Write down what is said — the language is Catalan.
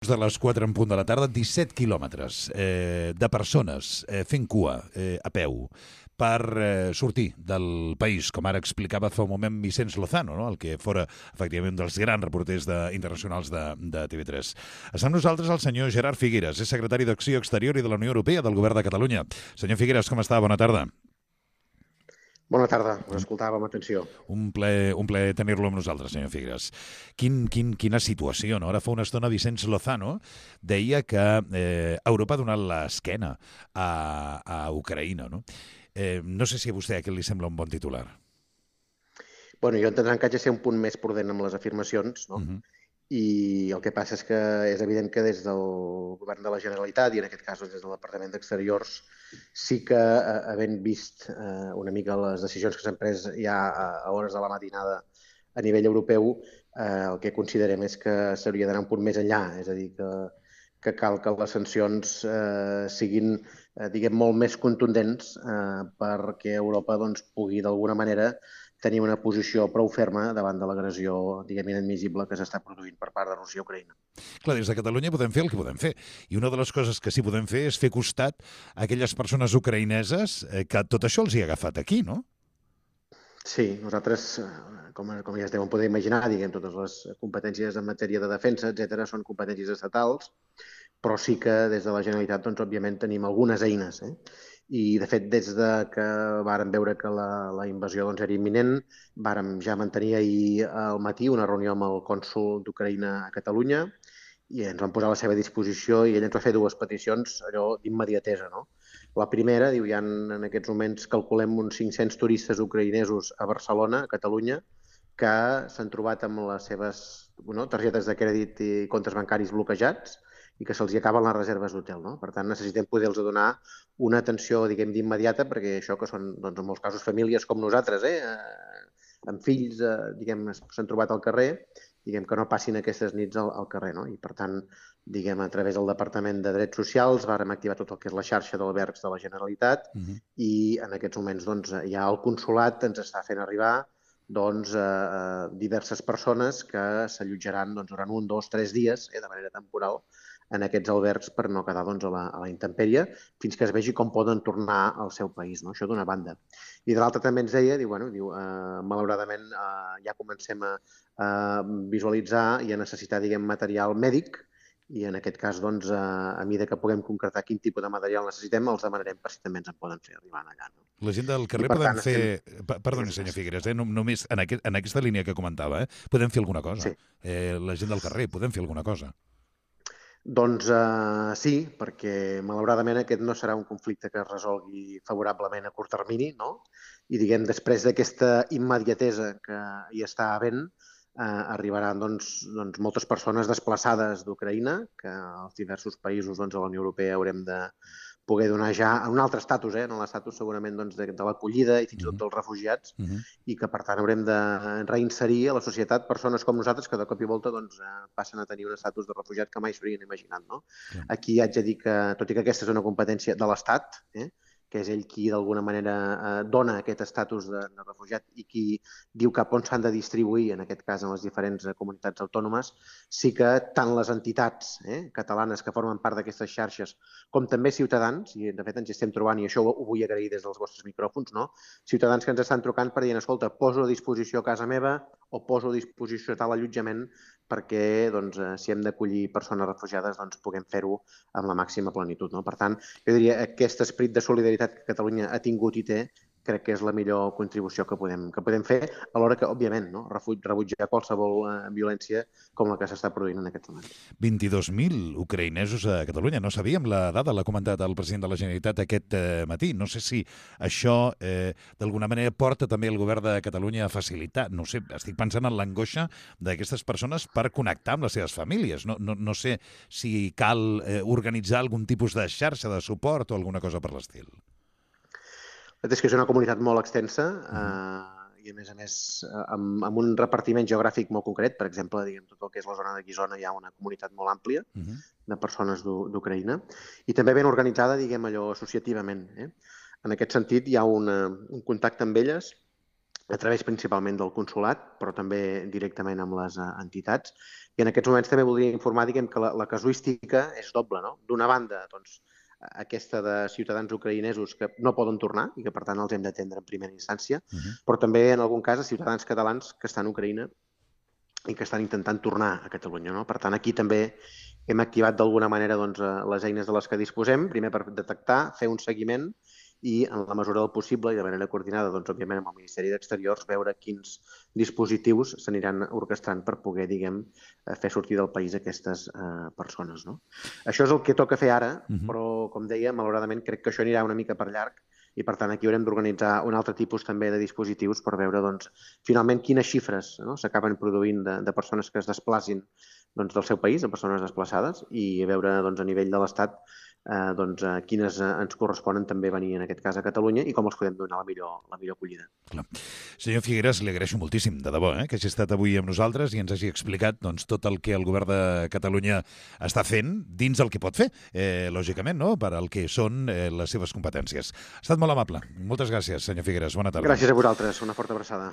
De les 4 en punt de la tarda, 17 quilòmetres de persones fent cua a peu per sortir del país, com ara explicava fa un moment Vicenç Lozano, no? El que fora, efectivament, un dels grans reporters internacionals de TV3. Està amb nosaltres el senyor Gerard Figueres, és secretari d'Acció Exterior i de la Unió Europea del Govern de Catalunya. Senyor Figueres, com està? Bona tarda. Bona tarda, us escoltava amb atenció. Un plaer tenir-lo amb nosaltres, senyor Figueres. Quina situació, no? Ara fa una estona Vicenç Lozano deia que Europa ha donat l'esquena a Ucraïna, no? No sé si a vostè aquest li sembla un bon titular. Bueno, jo entendran que haig de ser un punt més prudent amb les afirmacions, no? I el que passa és que és evident que des del govern de la Generalitat, i en aquest cas des del Departament d'Exteriors, sí que, havent vist una mica les decisions que s'han pres ja a hores de la matinada a nivell europeu, el que considerem és que s'hauria d'anar un punt més enllà, és a dir, que cal que les sancions siguin, diguem, molt més contundents perquè Europa doncs, pugui d'alguna manera tenir una posició prou ferma davant de l'agressió, diguem, inadmissible que s'està produint per part de Rússia a Ucraïna. Clar, des de Catalunya podem fer el que podem fer. I una de les coses que sí podem fer és fer costat a aquelles persones ucraïneses que tot això els hi ha agafat aquí, no? Sí, nosaltres, com ja es deuen poder imaginar, diguem, totes les competències en matèria de defensa, etc., són competències estatals, però sí que des de la Generalitat, doncs, òbviament, tenim algunes eines. I, de fet, des de que vàrem veure que la invasió doncs, era imminent, vàrem ja mantenir ahir al matí una reunió amb el cònsol d'Ucraïna a Catalunya i ens vam posar a la seva disposició i ell ens va fer dues peticions allò d'immediatesa, no? La primera, diu, hi ha en aquests moments, calculem, uns 500 turistes ucraïnesos a Barcelona, a Catalunya, que s'han trobat amb les seves targetes de crèdit i comptes bancaris bloquejats i que se'ls acaben les reserves d'hotel, no? Per tant, necessitem poder-los donar una atenció, diguem, d'immediata, perquè això que són, doncs, en molts casos, famílies com nosaltres, amb fills, diguem, s'han trobat al carrer, diguem, que no passin aquestes nits al carrer, no? I, per tant, diguem, a través del Departament de Drets Socials vàrem activar tot el que és la xarxa d'albergs de la Generalitat i en aquests moments, doncs, ja el consolat ens està fent arribar doncs, diverses persones que s'allotjaran doncs, durant 1, 2, 3 dies, de manera temporal, en aquests albergs per no quedar doncs, a la intempèrie fins que es vegi com poden tornar al seu país. No? Això d'una banda. I de l'altra també ens deia, diu, malauradament ja comencem a visualitzar i a necessitar, diguem, material mèdic i en aquest cas, doncs, a mesura que puguem concretar quin tipus de material necessitem, els demanarem per si també ens en poden fer arribar allà. No? La gent del carrer podem fer... Perdoni, senyor Figueres, només en aquesta línia que comentava, podem fer alguna cosa. Sí. La gent del carrer, podem fer alguna cosa. Doncs sí, perquè malauradament aquest no serà un conflicte que es resolgui favorablement a curt termini, no? I diguem, després d'aquesta immediatesa que hi està havent, arribaran doncs, moltes persones desplaçades d'Ucraïna, que als diversos països doncs, de la Unió Europea haurem de poder donar ja un altre estatus, en l'estatus segurament doncs, de l'acollida i fins i tot dels refugiats, i que per tant haurem de reinserir a la societat persones com nosaltres que de cop i volta doncs, passen a tenir un estatus de refugiat que mai s'haurien imaginat. No? Aquí haig de dir que, tot i que aquesta és una competència de l'Estat, que és ell qui d'alguna manera dona aquest estatus de refugiat i qui diu cap on s'han de distribuir, en aquest cas en les diferents comunitats autònomes, sí que tant les entitats catalanes que formen part d'aquestes xarxes com també ciutadans, i de fet ens estem trobant, i això ho vull agrair des dels vostres micròfons, no? Ciutadans que ens estan trucant per dir, escolta, poso a disposició a casa meva o poso a disposició tal allotjament perquè doncs, si hem d'acollir persones refugiades doncs, puguem fer-ho amb la màxima plenitud. No? Per tant, jo diria que aquest esperit de solidaritat que Catalunya ha tingut i té, crec que és la millor contribució que podem fer, alhora que, òbviament, no? rebutjar qualsevol violència com la que s'està produint en aquests moments. 22.000 ucraïnesos a Catalunya. No sabíem la dada, l'ha comentat el president de la Generalitat aquest matí. No sé si això, d'alguna manera, porta també el govern de Catalunya a facilitar. No sé, estic pensant en l'angoixa d'aquestes persones per connectar amb les seves famílies. No sé si cal organitzar algun tipus de xarxa de suport o alguna cosa per l'estil. És que és una comunitat molt extensa i, a més, amb un repartiment geogràfic molt concret. Per exemple, diguem, tot el que és la zona de Guissona hi ha una comunitat molt àmplia de persones d'Ucraïna i també ben organitzada, diguem, allò associativament. En aquest sentit, hi ha un contacte amb elles a través principalment del consolat, però també directament amb les entitats. I en aquests moments també voldria informar, diguem, que la casuística és doble, no? D'una banda, doncs, aquesta de ciutadans ucraïnesos que no poden tornar i que, per tant, els hem d'atendre en primera instància, però també, en algun cas, a ciutadans catalans que estan a Ucraïna i que estan intentant tornar a Catalunya, no? Per tant, aquí també hem activat d'alguna manera doncs, les eines de les que disposem, primer per detectar, fer un seguiment i, en la mesura del possible i de manera coordinada, doncs, òbviament, amb el Ministeri d'Exteriors, veure quins dispositius s'aniran orquestrant per poder, diguem, fer sortir del país aquestes persones, no? Això és el que toca fer ara, però, com deia, malauradament crec que això anirà una mica per llarg i, per tant, aquí haurem d'organitzar un altre tipus també de dispositius per veure, doncs, finalment quines xifres, no, s'acaben produint de persones que es desplacin, doncs, del seu país, de persones desplaçades, i veure, doncs, a nivell de l'Estat doncs, quines ens corresponen també venir, en aquest cas, a Catalunya i com els podem donar la millor acollida. Clar. Senyor Figueras, li agraeixo moltíssim, de debò, que hagi estat avui amb nosaltres i ens hagi explicat doncs, tot el que el govern de Catalunya està fent dins el que pot fer, lògicament, no? Per al que són les seves competències. Ha estat molt amable. Moltes gràcies, senyor Figueras. Bona tarda. Gràcies a vosaltres. Una forta abraçada.